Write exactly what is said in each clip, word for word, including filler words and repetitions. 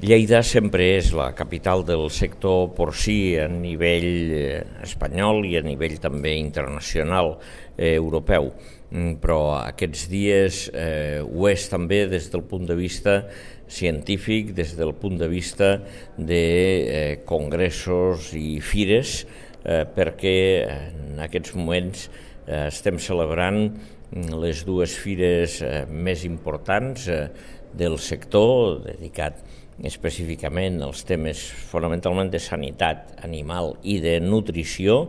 Lleida sempre és la capital del sector porcí a nivell espanyol i a nivell també internacional, eh, europeu, però aquests dies eh, ho és també des del punt de vista científic, des del punt de vista de eh, congressos i fires, eh, perquè en aquests moments eh, estem celebrant les dues fires eh, més importants eh, del sector, dedicat específicament als temes fonamentalment de sanitat animal i de nutrició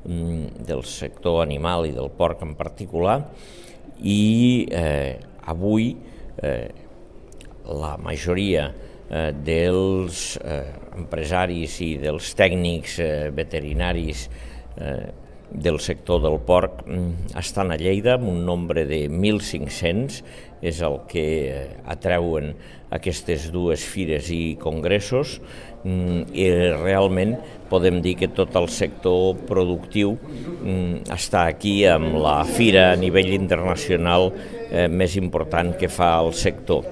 del sector animal i del porc en particular, i eh, avui eh, la majoria eh, dels eh, empresaris i dels tècnics eh, veterinaris eh, del sector del porc estan a Lleida, amb un nombre de mil cinc-cents, és el que atreuen aquestes dues fires i congressos, i realment podem dir que tot el sector productiu està aquí amb la fira a nivell internacional més important que fa el sector.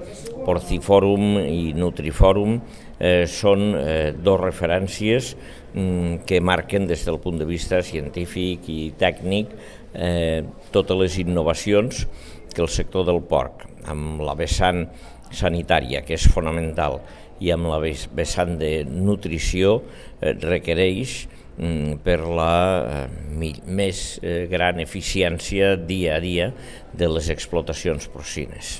Porcifòrum i Nutrifòrum eh, són eh, dos referències mm, que marquen des del punt de vista científic i tècnic eh, totes les innovacions que el sector del porc, amb la vessant sanitària, que és fonamental, i amb la vessant de nutrició, eh, requereix mm, per la eh, més eh, gran eficiència dia a dia de les explotacions porcines.